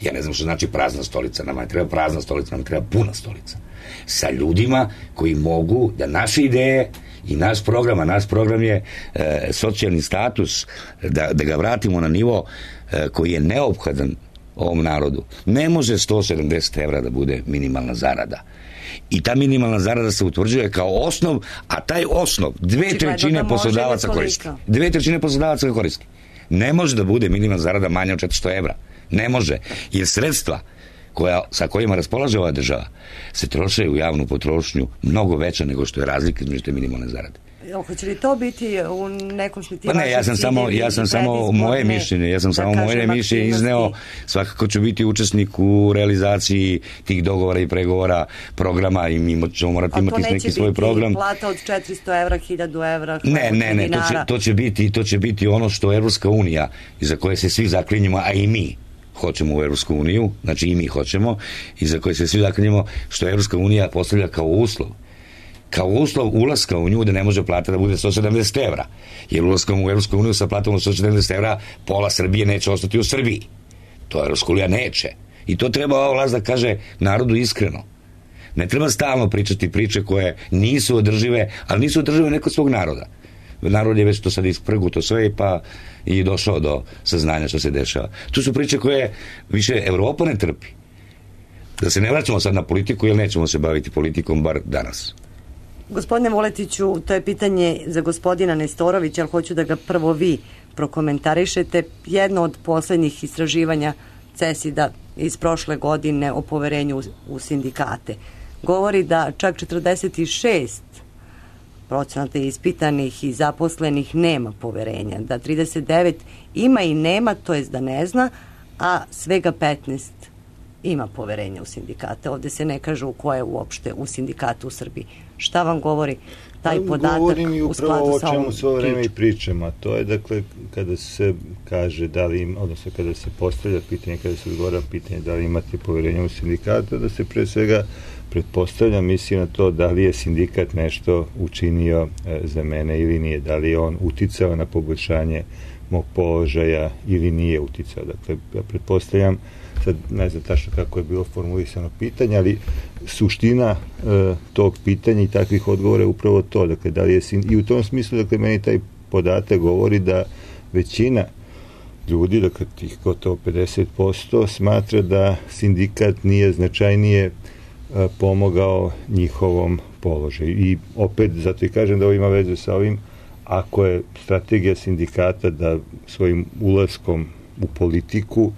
Ja ne znam što znači prazna stolica, nama ne treba prazna stolica, nam treba puna stolica. Sa ljudima koji mogu da naše ideje i naš program je socijalni status, da ga vratimo na nivo koji je neophodan ovom narodu. Ne može 170 evra da bude minimalna zarada. I ta minimalna zarada se utvrđuje kao osnov, a taj osnov 2/3 poslodavaca koristi. 2/3 poslodavaca koristi. Ne može da bude minimalna zarada manja od 400 evra. Ne može. Jer sredstva sa kojima raspolaže ova država se troše u javnu potrošnju mnogo veća nego što je razlika između te minimalne zarade. Hoće li to biti u nekom smislu? Pa ne, ja sam samo moje mišljenje izneo. Svakako ću biti učesnik u realizaciji tih dogovora i pregovora programa i mi ćemo morati imati neki svoj program. A to neće biti plata od 400 evra, 1000 evra, ne, to će biti ono što Evropska unija, za koje se svi zaklinjemo, a i mi hoćemo u Evropsku uniju, znači i mi hoćemo, i za koje se svi zaklinjemo, što Evropska unija postavlja kao uslov. kao uslov ulaska u nju da ne može plata da bude 170 evra. Jer ulaskom u Evropsku uniju sa platom 170 evra pola Srbije neće ostati u Srbiji. To Evropska unija neće. I to treba ova vlast da kaže narodu iskreno. Ne treba stalno pričati priče koje nisu održive, ali nisu održive neko svog naroda. Narod je već to sad isprguto sve pa i došao do saznanja što se dešava. Tu su priče koje više Evropa ne trpi. Da se ne vraćamo sad na politiku, jer nećemo se baviti politikom, bar danas. Gospodine Vuletiću, to je pitanje za gospodina Nestorovića, ali hoću da ga prvo vi prokomentarišete. Jedno od poslednjih istraživanja CESID-a iz prošle godine o poverenju u sindikate govori da čak 46% ispitanih i zaposlenih nema poverenja, da 39 ima i nema, to jest da ne zna, a svega 15 ima poverenja u sindikate. Ovde se ne kaže u koje uopšte u sindikatu u Srbiji. Šta vam govori taj podatak u skladu sa ovom pričom? Svo vreme i pričam, a to je dakle kada se kaže da li im, odnosno kada se postavlja pitanje, kada se odgovara pitanje da li imate poverenja u sindikatu, da se pre svega pretpostavlja misli na to da li je sindikat nešto učinio za mene ili nije, da li je on uticao na poboljšanje mog položaja ili nije uticao. Dakle, ja pretpostavljam, sad ne znam tačno kako je bilo formulisano pitanje, ali suština tog pitanja i takvih odgovora je upravo to. Dakle, da li je i u tom smislu, dakle, meni taj podatak govori da većina ljudi, dakle, tih gotovo 50%, smatra da sindikat nije značajnije pomogao njihovom položaju. I opet, zato i kažem da ovo ima vezu sa ovim, ako je strategija sindikata da svojim ulaskom u politiku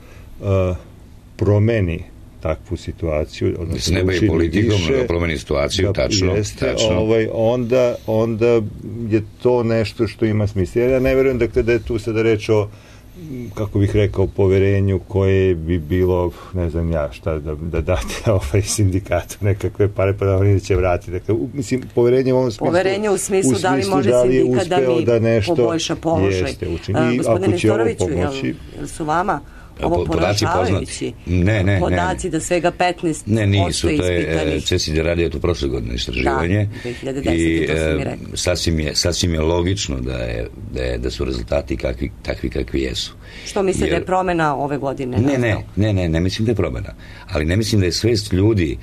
promeni takvu situaciju, odnosno ne bavi politikom, da promeni situaciju, tačno. Onda je to nešto što ima smisla. Ja ne verujem dakle, da je tu sada reč o, kako bih rekao, poverenju koje bi bilo, ne znam ja, šta da date sindikatu nekakve pare, pa da oni neće vratiti. Dakle, mislim, poverenje u ovom smislu... Poverenje u smislu da li može sindikat da mi poboljša položaj. Gospodine Nestoroviću, jel su vama ovo poražavajući podaci da svega 15% ne, nisu, to je CESID radio to prošle godine istraživanje. Da, 2010. to sam mi rekao. Sasvim je logično da su rezultati takvi kakvi jesu. Što mislite da je promena ove godine? Ne mislim da je promena. Ali ne mislim da je svest ljudi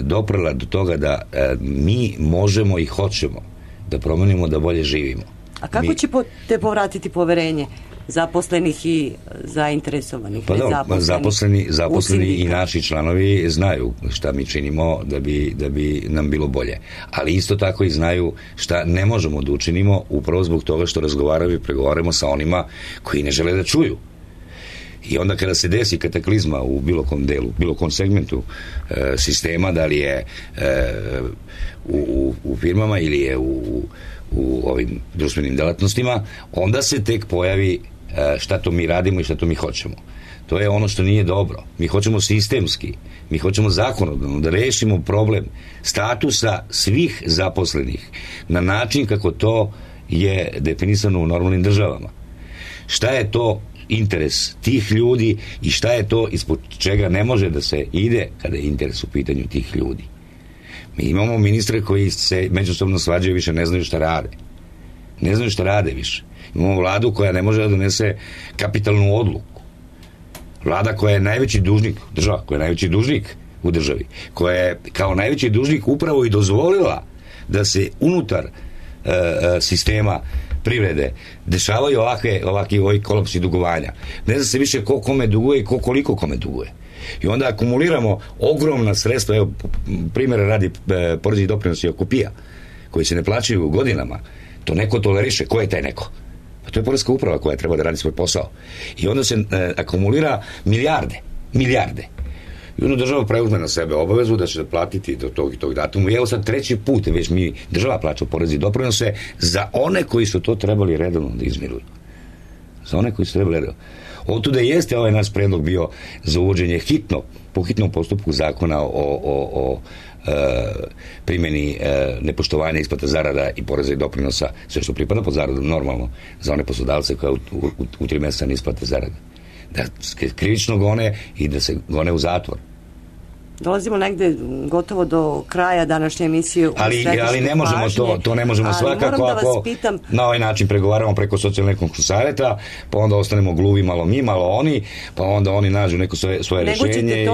doprala do toga da mi možemo i hoćemo da promenimo, da bolje živimo. A kako ćete povratiti poverenje zaposlenih i zainteresovanih? Pa zaposleni i naši članovi znaju šta mi činimo da bi nam bilo bolje. Ali isto tako i znaju šta ne možemo da učinimo upravo zbog toga što razgovaramo i pregovaramo sa onima koji ne žele da čuju. I onda kada se desi kataklizma u bilo kom delu, bilo kom segmentu sistema, da li je u firmama ili je u ovim društvenim delatnostima, onda se tek pojavi šta to mi radimo i šta to mi hoćemo. To je ono što nije dobro. Mi hoćemo sistemski, mi hoćemo zakonodavno da rešimo problem statusa svih zaposlenih na način kako to je definisano u normalnim državama. Šta je to interes tih ljudi i šta je to ispod čega ne može da se ide kada je interes u pitanju tih ljudi. Mi imamo ministre koji se međusobno svađaju, više ne znaju šta rade. Ne znaju šta rade više. Imamo vladu koja ne može da donese kapitalnu odluku. Vlada koja je najveći dužnik, država koja je najveći dužnik u državi, koja je kao najveći dužnik upravo i dozvolila da se unutar sistema privrede dešavaju ovakvi kolapsi dugovanja. Ne zna se više ko kome duguje i koliko kome duguje. I onda akumuliramo ogromna sredstva, evo primjera radi porezi i doprinosi oko PIA, koji se ne plaćaju godinama. To neko toleriše. Ko je taj neko? Pa to je poreska uprava koja treba da radi svoj posao. I onda se akumulira milijarde. I onda država preuzme na sebe obavezu da će da platiti do tog i tog datuma. I evo sad treći put već država plaća porezi i doprinose za one koji su to trebali redovno da izmiruju. Za one koji su trebali redovno. Otuda jeste ovaj naš predlog bio za uvođenje po hitnom postupku zakona o primjeni nepoštovanja isplata zarada i poreza i doprinosa, sve što pripada pod zaradu normalno za one poslodavce koje u 3 mjeseca ne isplate zarade. Da se krivično gone i da se gone u zatvor. Dolazimo negde gotovo do kraja današnje emisije. Ali ne možemo to ne možemo svakako ako na ovaj način pregovaramo preko socijalno-ekonomskog saveta, pa onda ostanemo gluvi malo mi, malo oni, pa onda oni nađu neko svoje rešenje.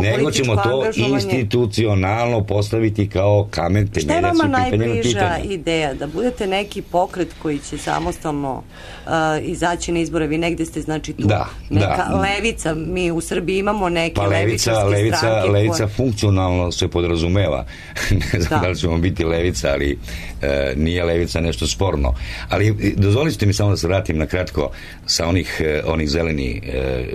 Nego ćemo to institucionalno postaviti kao kamen temeljac. Šta je vama najbliža ideja? Da budete neki pokret koji će samostalno izaći na izbore? Vi negde ste, znači, tu neka levica. Mi u Srbiji imamo neke levičarske stranke. Levica funkcionalno se podrazumeva. Ne znam da li ćemo biti levica, ali nije levica nešto sporno. Ali dozvolite mi samo da se vratim na kratko sa onih zeleni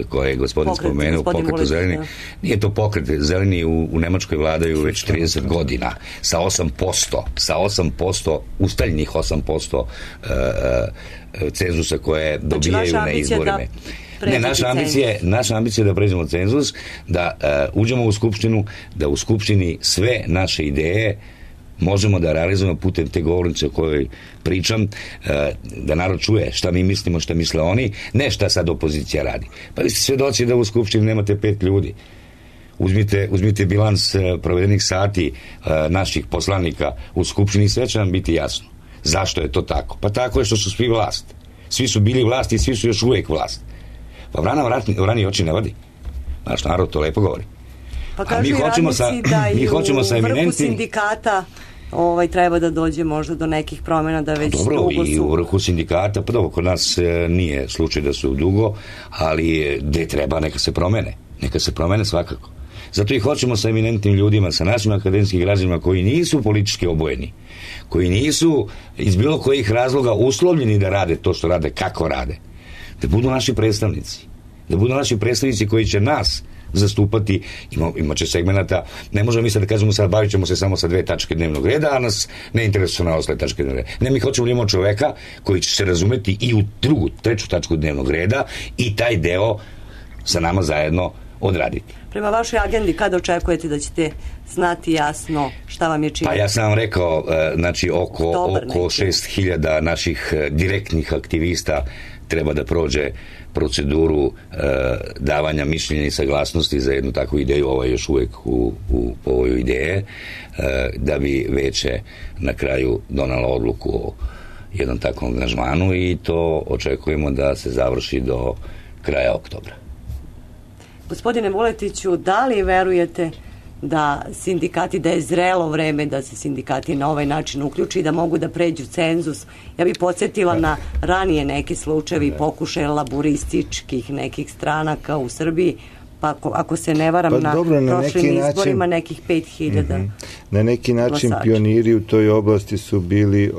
koje je gospodin spomenuo, pokret zeleni. Nije to pokret, zeleni u Nemačkoj vladaju već 30 godina sa 8%, ustaljenih 8% cenzusa koje dobijaju na izborima. Ne, naša ambicija je da pređemo cenzus, da uđemo u Skupštinu, da u Skupštini sve naše ideje možemo da realizujemo putem te govornice o kojoj pričam, da narod čuje šta mi mislimo, šta misle oni, ne šta sad opozicija radi. Pa vi ste svedoci da u Skupštini nemate 5 ljudi. Uzmite bilans provedenih sati naših poslanika u Skupštini, sve će vam biti jasno. Zašto je to tako? Pa tako je što su svi vlast. Svi su bili vlast i svi su još uvijek vlast. Pa vrani oči ne vodi. Naš narod to lepo govori. Pa kažu i radnici da i u vrhu sindikata treba da dođe možda do nekih promjena, da već dugo su... I u vrhu sindikata, pa dobro, kod nas nije slučaj da su dugo, ali gde treba neka se promene svakako. Zato i hoćemo sa eminentnim ljudima, sa našim akademskim građanima koji nisu politički obojeni, koji nisu iz bilo kojih razloga uslovljeni da rade to što rade, kako rade, da budu naši predstavnici koji će nas zastupati. Imaće segmenata, ne možemo mi sad da kažemo sad bavit ćemo se samo sa 2 tačke dnevnog reda, a nas ne interesuje na ostale tačke dnevnog reda. Ne, mi hoćemo da imamo čoveka koji će se razumeti i u treću tačku dnevnog reda i taj deo sa nama zajedno odraditi. Prema vašoj agendi, kada očekujete da ćete znati jasno šta vam je činiti? Pa ja sam vam rekao, znači oko 6.000 naših direktnih aktivista treba da prođe proceduru davanja mišljenja i saglasnosti za jednu takvu ideju. Ovo je još uvijek u ovoj ideje, da bi veće na kraju donalo odluku o jednom takvom angažmanu i to očekujemo da se završi do kraja oktobra. Gospodine Vuletiću, da li verujete da je zrelo vreme da se sindikati na ovaj način uključi i da mogu da pređu cenzus? Ja bih podsjetila na ranije neke slučajevi pokušaja laburističkih nekih stranaka u Srbiji, pa ako se ne varam na prošlim izborima nekih 5.000. Na neki način pioniri u toj oblasti su bili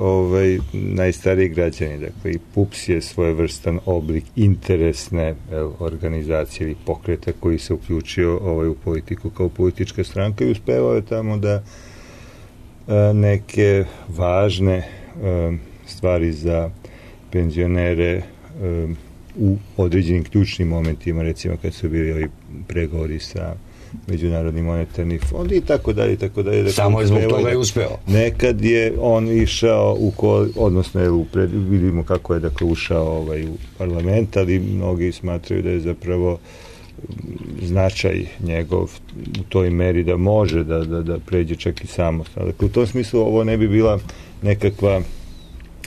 najstariji građani. Dakle, i PUPS je svojevrstan oblik interesne organizacije ili pokreta koji se uključio u politiku kao politička stranka i uspevao je tamo da neke važne stvari za penzionere u određenim ključnim momentima, recimo kad su bili ovi pregovori sa Međunarodnim monetarnim fondom i tako dalje. Samo je zbog toga je uspeo. Nekad je on išao odnosno vidimo kako je ušao u parlament, ali mnogi smatraju da je zapravo značaj njegov u toj meri da može da pređe čak i samostalno. Dakle, u tom smislu ovo ne bi bila nekakva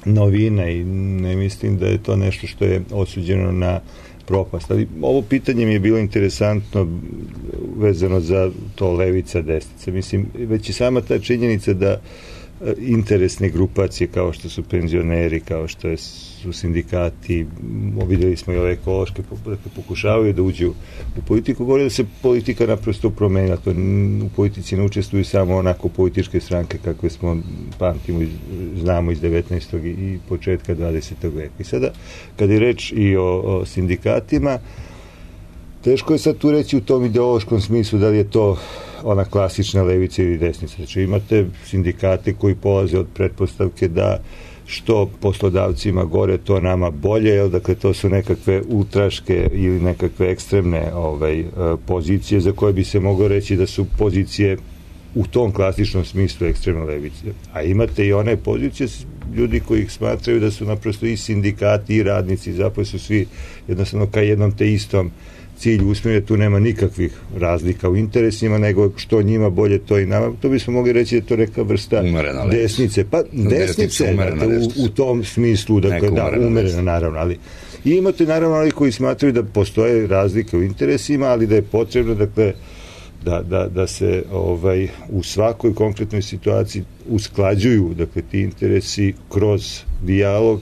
novina i ne mislim da je to nešto što je osuđeno na propast. Ali ovo pitanje mi je bilo interesantno vezano za to levica, desnica. Mislim, već i sama ta činjenica da interesne grupacije kao što su penzioneri, kao što su sindikati, vidjeli smo i ove ekološke, pokušavaju da uđu u politiku, govori da se politika naprosto promenila. To u politici ne učestvuju samo onako političke stranke kakve smo znamo iz 19. i početka 20. veka. I sada, kad je reč i o sindikatima, teško je sad tu reći u tom ideološkom smislu da li je to ona klasična levica ili desnica. Znači imate sindikate koji polaze od pretpostavke da što poslodavcima gore, to nama bolje, dakle to su nekakve ultraške ili nekakve ekstremne pozicije za koje bi se moglo reći da su pozicije u tom klasičnom smislu ekstremne levice. A imate i one pozicije ljudi koji ih smatraju da su naprosto i sindikati i radnici, zapravo su svi jednostavno ka jednom te istom cilj usmjeren, tu nema nikakvih razlika u interesima, nego što njima bolje, to i nama. To bismo mogli reći da je to neka vrsta desnice. Pa desnice, u tom smislu, dakle, umerena naravno, ali i imate naravno ali koji smatraju da postoje razlike u interesima, ali da je potrebno, dakle, da se u svakoj konkretnoj situaciji usklađuju, dakle, ti interesi kroz dijalog,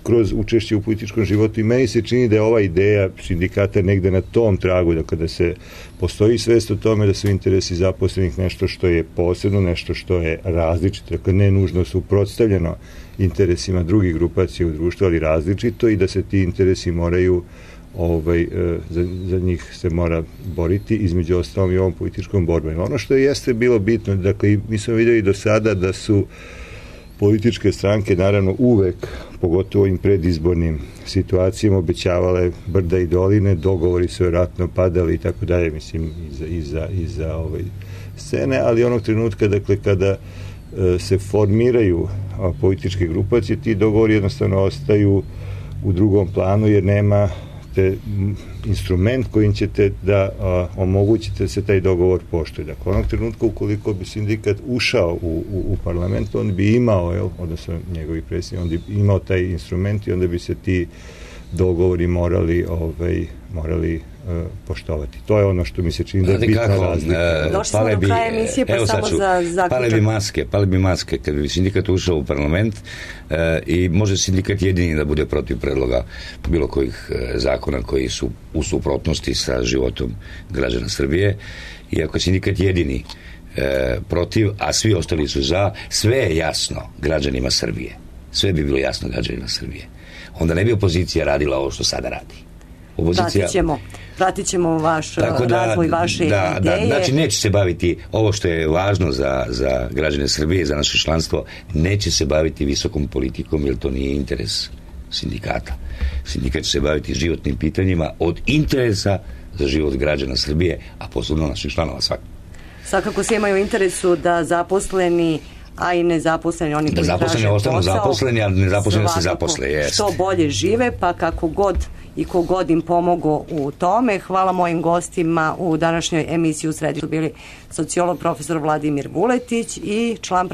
kroz učešće u političkom životu, i meni se čini da je ova ideja sindikata negde na tom tragu, dakle, da se postoji svest o tome da su interesi zaposlenih nešto što je posebno, nešto što je različito, dakle, ne nužno suprotstavljeno interesima drugih grupacija u društvu, ali različito, i da se ti interesi moraju za njih se mora boriti, između ostalom i ovom političkom borbom. Ono što jeste bilo bitno, dakle, mi smo vidjeli do sada da su političke stranke naravno uvek, pogotovo im predizbornim situacijama, obećavale brda i doline, dogovori su vjerojatno padali i tako dalje, mislim, iza scene, ali onog trenutka, dakle, kada se formiraju političke grupacije, ti dogovori jednostavno ostaju u drugom planu, jer nema instrument kojim ćete da omogućite da se taj dogovor poštuje. Dakle, onog trenutka, ukoliko bi sindikat ušao u parlament, on bi imao, odnosno njegovi predsjednik, on bi imao taj instrument i onda bi se ti dogovori morali poštovati. To je ono što mi se čini da je bitna razlika. Došli smo do kraja emisije, pa samo za zaključak. Pale bi maske kad bi sindikat ušao u parlament, i može sindikat jedini da bude protiv predloga bilo kojih zakona koji su u suprotnosti sa životom građana Srbije, i ako sindikat jedini protiv, a svi ostali su za, sve je jasno građanima Srbije. Sve bi bilo jasno građanima Srbije. Onda ne bi opozicija radila ovo što sada radi. Pratit ćemo vaš razvoj, vaše ideje. Znači, neće se baviti ovo što je važno za građane Srbije, za naše članstvo, neće se baviti visokom politikom, jer to nije interes sindikata. Sindikat će se baviti životnim pitanjima od interesa za život građana Srbije, a posebno naših članova svakako. Svakako svi imaju interesu da zaposleni, a i nezaposleni, oni koji traže posao, zaposleni, a nezaposleni se zaposle. Što bolje žive, pa kako god i kogod im pomogu u tome. Hvala mojim gostima u današnjoj emisiji. U središtu bili sociolog profesor Vladimir Vuletić i član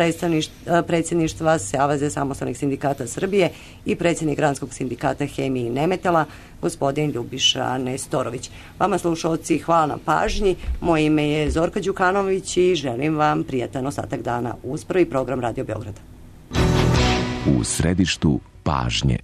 predsjedništva Saveza samostalnih sindikata Srbije i predsjednik Granskog sindikata Hemije i Nemetala, gospodin Ljubiša Nestorović. Vama, slušalci, hvala na pažnji. Moje ime je Zorka Đukanović i želim vam prijatan ostatak dana uz prvi program Radio Beograda. U središtu pažnje.